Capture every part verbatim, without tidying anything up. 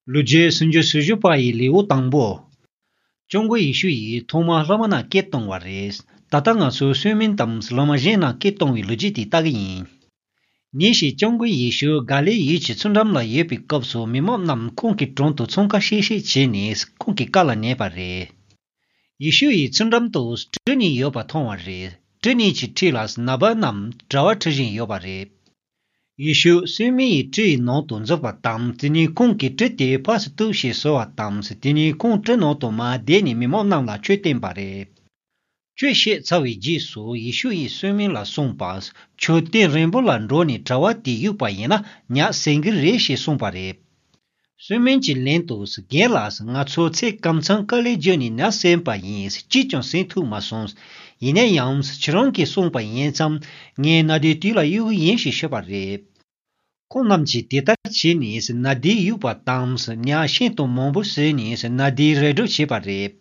ལོ་རྒྱུས་སུམ་ཅུ་སོ་བཞི་པ་ཡི་ལེའུ་དང་པོ། སྐྱབས་མགོན་ཡེ་ཤུ་ཡིས་ཐོག་མར་སློབ་མ་རྣམས་སྐད་བཏང་བ་རེད། ད་ལྟ་ང་ཚོས་གསོལ་སྨན་དང་སློབ་མ་གཞན་རྣམས་སྐད་གཏོང་བའི་ལོ་རྒྱུས་དེ་ལྟ་གི་ཡིན། ཉིན་ཞིག་སྐྱབས་མགོན་ཡེ་ཤུ་ག་ལིལ་ཡུལ་གྱི་མཚོ་འགྲམ་ལ་ཡོད་པའི་སྐབས་སུ། མི་མང་རྣམས་ཁོང་གི་དྲུང་དུ་འཚང་ཁ་ཤིག་ཤིག་བྱས་ནས་ཁོང་གི་བཀའ་ལ་ཉན་པ་རེད། ཡེ་ཤུ་ཡིས་མཚོ་འགྲམ་དུ་གྲུ་གཉིས་ཡོད་པ་མཐོང་བ་རེད། གྲུ་གཉིས་ཀྱི་འཁྲིས་ལ་ནད་པ་རྣམས་གྲྭ་བ་ཁྲིད་བཞིན་ཡོད་པ་རེད། ཡེ་ཤུ་གསོལ་སྨན་ཡིས་གྲུ་ཡི་ནང་དུ་འཛུལ་བ་དང་། དེ་ནས་ཁོང་གིས་གྲུ་དེ་ཕར་ཚུར་གཏུབས་ཤིག་ཟེར་བ་དང་། དེ་ནས་ཁོང་གྲུ་ནང་དུ་མར་བསྡད་ནས་མི་མང་རྣམས་ལ་ཆོས་བསྟན་པ་རེད། ཆོས་བཤད་ཚར་བའི་རྗེས་སུ་ཡེ་ཤུ་ཡིས་གསོལ་སྨན་ལ་གསུངས་པ། ཁྱོད་སྟེང་རིང་པོ་ལ་འགྲོ་ནས་གྲྭ་བ་དེ་གཡུགས་པ་ཡིན་ན་ཉ་ཟིན་གི་རེད་ཞེས་གསུངས་པ་རེད། གསོལ་སྨན་གྱི་ལན་དུ། རྒན་ལགས། ང་ཚོ་ཚེ་གང་ཚང་དཀའ་ལས་བརྒྱབ་ནས་ཉ་ཟིན་པ་ཡིན། གཅིག་ཀྱང་ཟིན་ཐུབ་མ་སོང་། ཡིན་ན་ཡང་ཁྱེད་རང་གིས་གསུངས་པ་ཡིན་ཙང་ངས་ཉ་དེ་དུས་ལ་གཡུག་གི་ཡིན་ཞེས་ཤོད་པ་རེད། ཁོང་རྣམས་ཀྱིས་དེ་ལྟར་བྱས་ནས་ཉ་དེ་གཡུགས་པ་དང་། ཉ་ཤིན་ཏུ་མང་པོ་ཟིན་ནས་ཉ་དེ་རེ་སྒྲུག་བྱས་པ་རེད།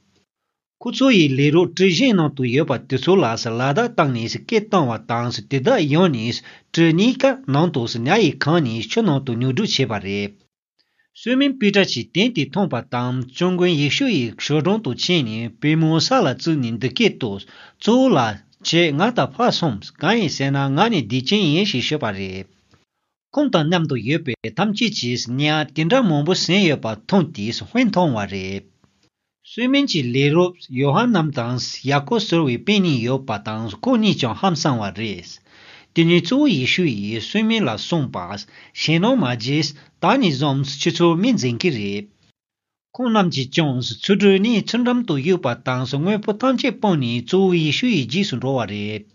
ཁོ་ཚོ་ཡིས་ལས་རོགས་གྲུ་གཞན་ནང་དུ་ཡོད་པ་དེ་ཚོ་ལ་ལག་བརྡ་བཏང་ནས་སྐད་བཏང་བ་དང་། དེ་དག་ཡོང་ནས་གྲུ་གཉིས་ཀ་ནང་དུ་ཉ་ཡིས་གང་ནས་ཆུ་ནང་དུ་ཉོ་སྒྲུག་བྱས་པ་རེད། གསོལ་སྨན་པི་ཏྲ་གྱིས་དོན་དེ་མཐོང་བ་དང་། སྐྱབས་མགོན་ཡེ་ཤུ་ཡི་ཞབས་དྲུང་དུ་ཕྱིན་ནས་པུས་མོ་ས་ལ་བཙུགས་ནས་འདི་སྐད་དུ། གཙོ་བོ་ལགས། ཁྱེད་ང་དང་ཕར་སོང་། གང་ཡིན་ཟེར་ན་ང་ནི་བདེ་ཅན་ཡིན་ཞེས་ཤོད་པ་རེད། ཁོང་དང་མཉམ་དུ་ཡོད་པའི་ཐམས་ཅད་ཀྱིས་ཉ་དེ་འདྲ་མང་པོ་ཟིན་ཡོད་པ་མཐོང་དུས་དཔེ་མཐོང་བ་རེད། གསོལ་སྨན་གྱི་ལས་རོགས་ཡོ་ཧ་ནན་དང་ཡ་ཀོབ་ཟེར་བའི་སྤུན་གཉིས་ཡོད་པ་དང་། ཁོང་གཉིས་ཀྱང་ཧང་སངས་པ་རེད། དེ་ནས་གཙོ་བོ་ཡེ་ཤུ་ཡིས་གསོལ་སྨན་ལ་གསུངས་པ། ཞེད་སྣང་མ་བྱེད། ད་ནས་བཟུང་ཁྱེད་ཚོ་མི་འཛིན་གྱི་རེད། ཁོང་རྣམས་ཀྱིས་ཀྱང་ཚུར་གྲུ་གཉིས་མཚོ་འགྲམ་དུ་གཡུགས་པ་དང་། དངོས་པོ་ཐམས་ཅད་སྤངས་ནས་གཙོ་བོ་ཡེ་ཤུ་ཡི་རྗེས་སུ་འགྲོ་བ་རེད།